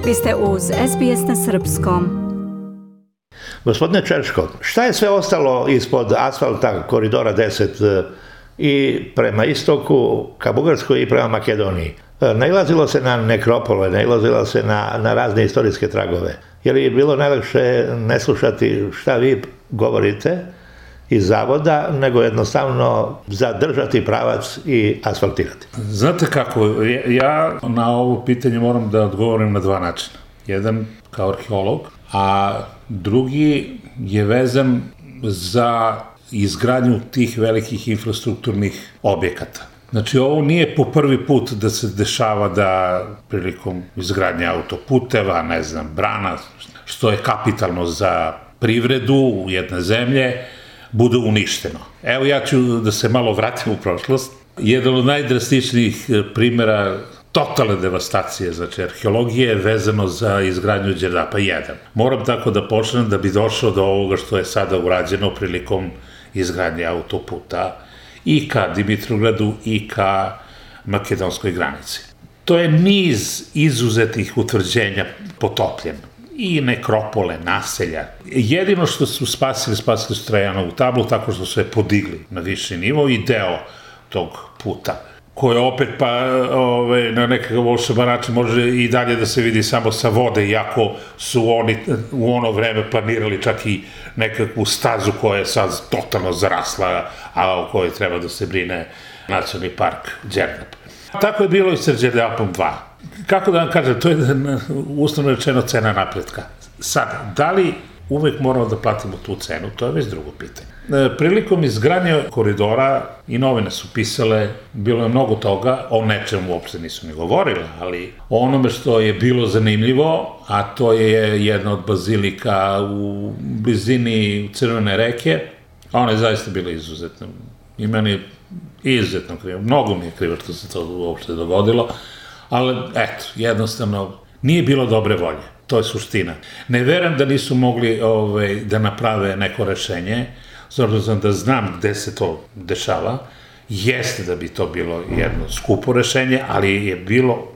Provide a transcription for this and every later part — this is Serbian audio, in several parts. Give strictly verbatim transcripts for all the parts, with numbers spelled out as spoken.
Vi ste uz S B S na srpskom. Gospodine Čerško, šta je sve ostalo ispod asfalta koridora deset i prema istoku ka Bugarskoj i prema Makedoniji? Nailazilo se na nekropole, nailazilo se na, na razne istorijske tragove. Je li bilo najlakše ne slušati šta vi govorite iz zavoda, nego jednostavno zadržati pravac i asfaltirati? Znate kako, ja na ovo pitanje moram da odgovorim na dva načina. Jedan kao arheolog, a drugi je vezan za izgradnju tih velikih infrastrukturnih objekata. Znači, ovo nije po prvi put da se dešava da prilikom izgradnje autoputeva, ne znam, brana, što je kapitalno za privredu jedne zemlje, bude uništeno. Evo, ja ću da se malo vratim u prošlost. Jedan od najdrastičnijih primjera totalne devastacije, znači arheologije je vezano za izgradnju Đerdapa jedan. Moram tako da počnem da bi došao do ovoga što je sada urađeno prilikom izgradnje autoputa i ka Dimitrovgradu i ka makedonskoj granici. To je niz izuzetih utvrđenja potopljen. I nekropole, naselja. Jedino što su spasili, spasili su Trajanovu tablu tako što su je podigli na viši nivo i deo tog puta, koje opet pa ove, na nekakav volšeban način može i dalje da se vidi samo sa vode, iako su oni u ono vreme planirali čak i nekakvu stazu koja je sad totalno zarasla, a o kojoj treba da se brine Nacionalni park Đerdap. Tako je bilo i sa Đerdapom dva. Kako da vam kažem, to je uslovno rečeno cena napretka. Sad, da li uvek moramo da platimo tu cenu, to je već drugo pitanje. Prilikom izgradnje koridora i novine su pisale, bilo je mnogo toga, o nečemu uopšte nisu ni govorile, ali o onome što je bilo zanimljivo, a to je jedna od bazilika u blizini Crvene reke, a ona je zaista bila izuzetna. I meni je izuzetno krivo, mnogo mi je krivo što se to uopšte dogodilo, ali eto, jednostavno nije bilo dobre volje, to je suština. Ne verujem da nisu mogli ovaj, da naprave neko rešenje, s obzirom da znam gde se to dešava, jeste da bi to bilo jedno skupo rešenje, ali je bilo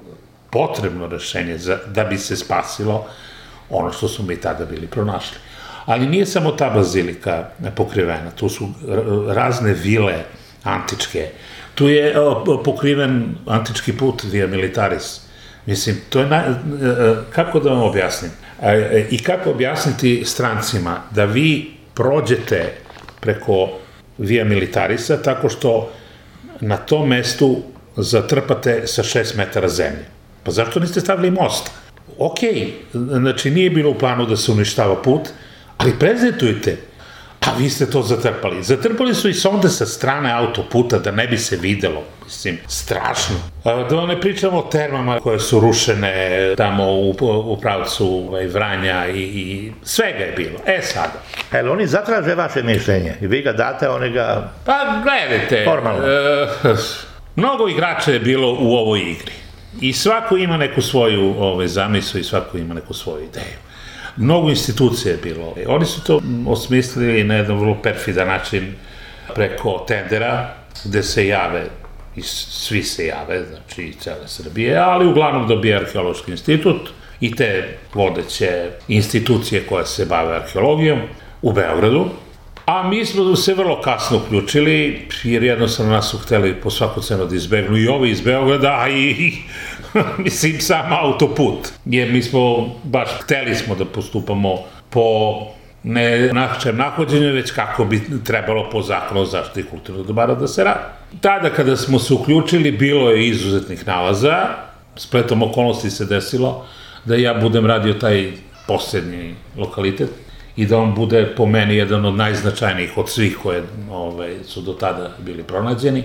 potrebno rešenje za, da bi se spasilo ono što su mi tada bili pronašli. Ali nije samo ta bazilika pokrivena, tu su razne vile antičke, tu je o, pokriven antički put Via Militaris. Mislim, to je, na, kako da vam objasnim? E, I kako objasniti strancima da vi prođete preko Via Militarisa tako što na tom mestu zatrpate sa šest metara zemlje? Pa zašto niste stavili most? Okej, znači nije bilo u planu da se uništava put, ali prezentujte. A vi ste to zatrpali. Zatrpali su i sonde sa strane autoputa da ne bi se videlo. Mislim, strašno. Da vam ne pričamo o termama koje su rušene tamo u, u pravcu ovaj, Vranja i, i svega je bilo. E sada. E, oni zatraže vaše mišljenje i vi ga date, oni ga... Pa gledajte. Formalno. E, mnogo igrača je bilo u ovoj igri. I svako ima neku svoju ovaj, zamislu i svako ima neku svoju ideju. Mnogo institucija je bilo. Oni su to osmislili na jedan vrlo perfidan način preko tendera, gde se jave, i svi se jave, znači i cele Srbije, ali uglavnom dobije Arheološki institut i te vodeće institucije koje se bave arheologijom u Beogradu. A mi smo se vrlo kasno uključili, jer jednostavno nas su hteli po svaku cenu da izbegnu i ovi iz Beograda, a i, mislim, sam autoput. Jer mi smo, baš hteli smo da postupamo po ne našem nahođenju, već kako bi trebalo po zakonu o zaštiti kulturnog dobara da se radi. Tada kada smo se uključili, bilo je izuzetnih nalaza, spletom okolnosti se desilo da ja budem radio taj posljednji lokalitet, i da on bude po meni jedan od najznačajnijih od svih koje ove, su do tada bili pronađeni.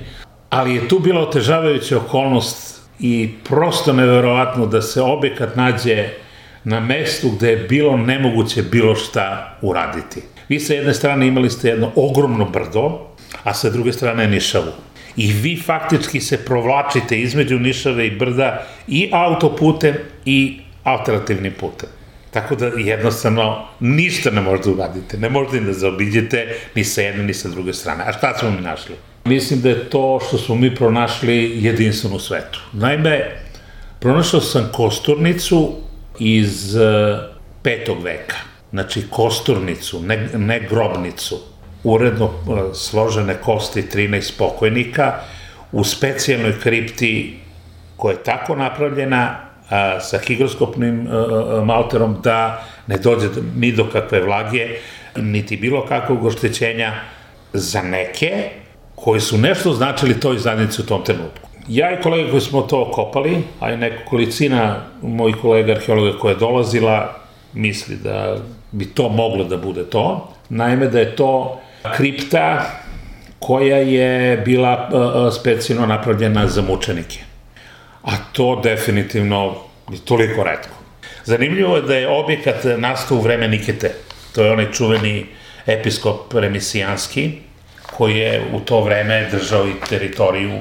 Ali je tu bila otežavajuća okolnost i prosto neverovatno da se objekat nađe na mestu gde je bilo nemoguće bilo šta uraditi. Vi sa jedne strane imali ste jedno ogromno brdo, a sa druge strane Nišavu. I vi faktički se provlačite između Nišave i brda i autoputem i alternativnim putem. Tako da jednostavno ništa ne možete uraditi, ne možete da zaobiđete ni sa jedne ni sa druge strane. A šta smo mi našli? Mislim da je to što smo mi pronašli jedinstveno u svetu. Naime, pronašao sam kosturnicu iz petog veka. Znači kosturnicu, ne, ne grobnicu, uredno složene kosti trinaest pokojnika u specijalnoj kripti koja je tako napravljena a, sa higroskopnim a, malterom da ne dođe ni do kakve vlage, niti bilo kakvog oštećenja za neke koji su nešto značili toj zajednici u tom trenutku. Ja i kolega koji smo to kopali, a i neka kolicina mojih kolega arheologa koja je dolazila, misli da bi to moglo da bude to. Naime, da je to kripta koja je bila specijalno napravljena za mučenike. A to definitivno je toliko retko. Zanimljivo je da je objekat nastao u vreme Nikete. To je onaj čuveni episkop remisijanski, koji je u to vreme držao i teritoriju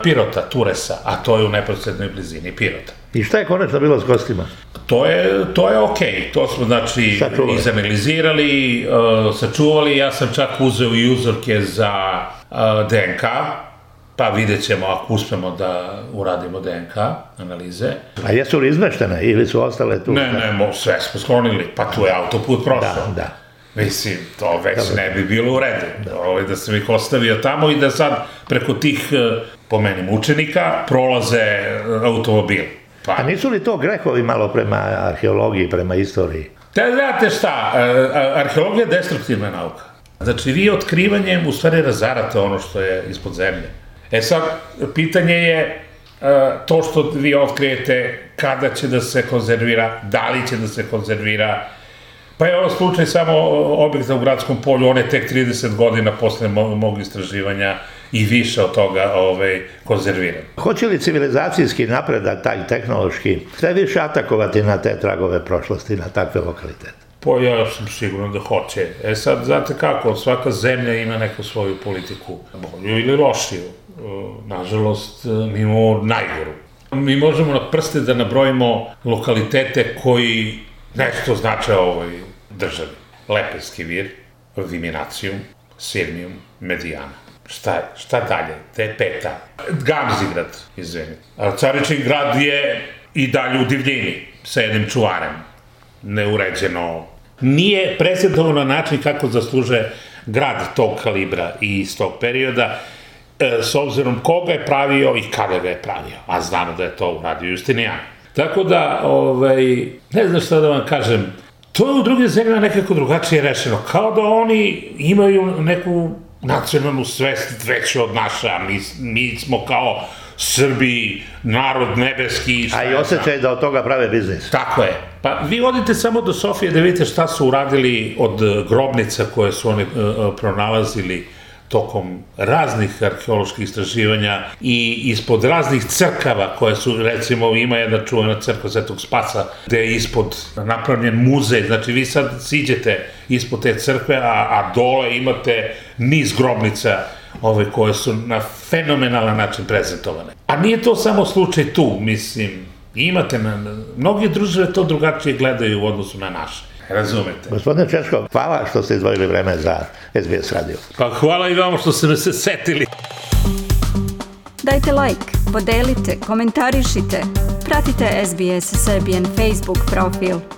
Pirota, Turesa, a to je u neposrednoj blizini Pirota. I šta je konačno bilo s kostima? To je, to je okej, to smo znači Sačuvali. izanalizirali, uh, sačuvali, ja sam čak uzeo i uzorke za uh, D N K, pa vidjet ćemo ako uspemo da uradimo D N K analize. A jesu li izmeštene ili su ostale tu? Ne, ne, mo, sve smo sklonili, pa tu je autoput prošao. Da, da. Mislim, to već ne bi bilo u redu. Da. da sam ih ostavio tamo i da sad preko tih, po meni, mučenika prolaze automobil. Pa. A nisu li to grehovi malo prema arheologiji, prema istoriji? Te znate šta, arheologija je destruktivna nauka. Znači, vi otkrivanjem u stvari razarate ono što je ispod zemlje. E sad, pitanje je to što vi otkrijete, kada će da se konzervira, da li će da se konzervira. Pa je ovo slučaj samo objekta u Gradskom polju, on je tek trideset godina posle mog istraživanja i više od toga ovaj, konzerviran. Hoće li civilizacijski napredak, taj tehnološki, sve više atakovati na te tragove prošlosti, na takve lokalitete? Pa ja sam siguran da hoće. E sad, znate kako, svaka zemlja ima neku svoju politiku, bolju ili lošiju. Nažalost, mi imamo najgoru. Mi možemo na prste da nabrojimo lokalitete koji nešto znače ovoj državi. Lepenski vir, Viminacijum, Sirmijum, Medijana. Šta je? Šta dalje? Te je peta. Gamzigrad, izvini. Caričin grad je i dalje u divljini, sa jednim čuvarem. Neuređeno. Nije prezentovan na način kako zasluže grad tog kalibra i iz tog perioda, s obzirom koga je pravio i kada ga je pravio. A znamo da je to uradio Justinijan. Tako da, ovaj, ne znam šta da vam kažem, to je u drugim zemljama nekako drugačije rešeno. Kao da oni imaju neku nacionalnu svest veću od naša. Mi, mi smo kao Srbi, narod nebeski. A i osjećaj da od toga prave biznis. Tako je. Pa vi odite samo do Sofije da vidite šta su uradili od grobnica koje su oni uh, pronalazili tokom raznih arheoloških istraživanja i ispod raznih crkava koje su, recimo, ima jedna čuvena crkva Svetog Spasa gde je ispod napravljen muzej, znači vi sad siđete ispod te crkve, a, a dole imate niz grobnica ove koje su na fenomenalan način prezentovane. A nije to samo slučaj tu, mislim, imate, na, mnogi države to drugačije gledaju u odnosu na naše. Razumete. Gospodine Češko, hvala što ste izdvojili vreme za S B S radio. Pa hvala i vama što ste me se setili. Dajte like, podelite, komentarišite, pratite S B S Serbian Facebook profil.